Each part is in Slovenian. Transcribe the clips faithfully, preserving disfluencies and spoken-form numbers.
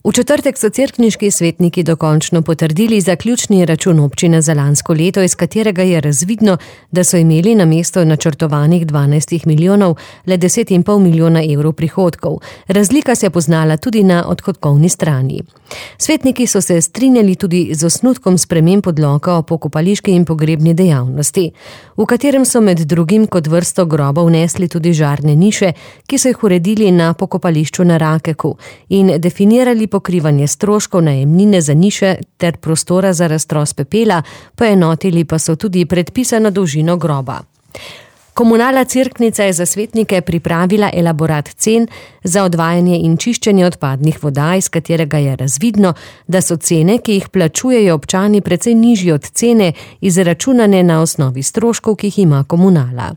V četrtek so cerkniški svetniki dokončno potrdili zaključni račun občine za lansko leto, iz katerega je razvidno, da so imeli namesto načrtovanih dvanajst milijonov le deset in pol milijona evrov prihodkov. Razlika se je poznala tudi na odhodkovni strani. Svetniki so se strinjali tudi z osnutkom sprememb odloka o pokopališki in pogrebni dejavnosti, v katerem so med drugim kot vrsto grobov vnesli tudi žarne niše, ki so jih uredili na pokopališču na Rakeku in definirali pokrivanje stroškov najemnine za niše ter prostora za raztros pepela, poenotili pa so tudi predpisano dolžino groba. Komunala Cerknica je za svetnike pripravila elaborat cen za odvajanje in čiščenje odpadnih voda, iz katerega je razvidno, da so cene, ki jih plačujejo občani, precej nižji od cene, izračunane na osnovi stroškov, ki jih ima komunala.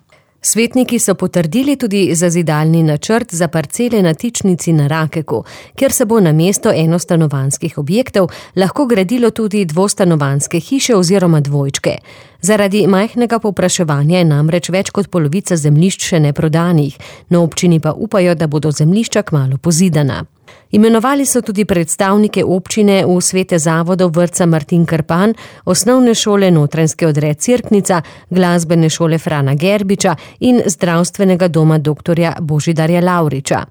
Svetniki so potrdili tudi zazidalni načrt za parcele na Tičnici na Rakeku, kjer se bo namesto enostanovanjskih objektov lahko gradilo tudi dvostanovanjske hiše oziroma dvojčke. Zaradi majhnega povpraševanja je namreč več kot polovica zemljišč še neprodanih, na občini pa upajo, da bodo zemljišča kmalu pozidana. Imenovali so tudi predstavnike občine v svete zavodov vrtca Martin Krpan, osnovne šole Notranjski odred Cerknica, glasbene šole Frana Gerbiča in zdravstvenega doma doktorja Božidarja Lavriča.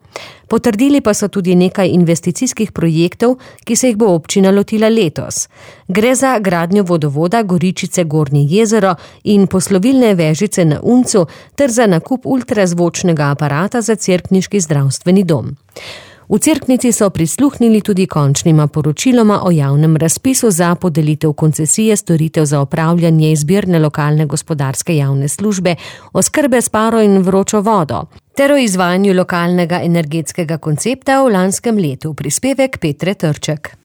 Potrdili pa so tudi nekaj investicijskih projektov, ki se jih bo občina lotila letos. Gre za gradnjo vodovoda Goričice Gornje jezero in poslovilne vežice na Uncu ter za nakup ultrazvočnega aparata za cerkniški zdravstveni dom. V Cerknici so prisluhnili tudi končnima poročiloma o javnem razpisu za podelitev koncesije storitev za opravljanje izbirne lokalne gospodarske javne službe, oskrbe s paro in vročo vodo, ter o izvajanju lokalnega energetskega koncepta v lanskem letu. Prispevek Petre Trček.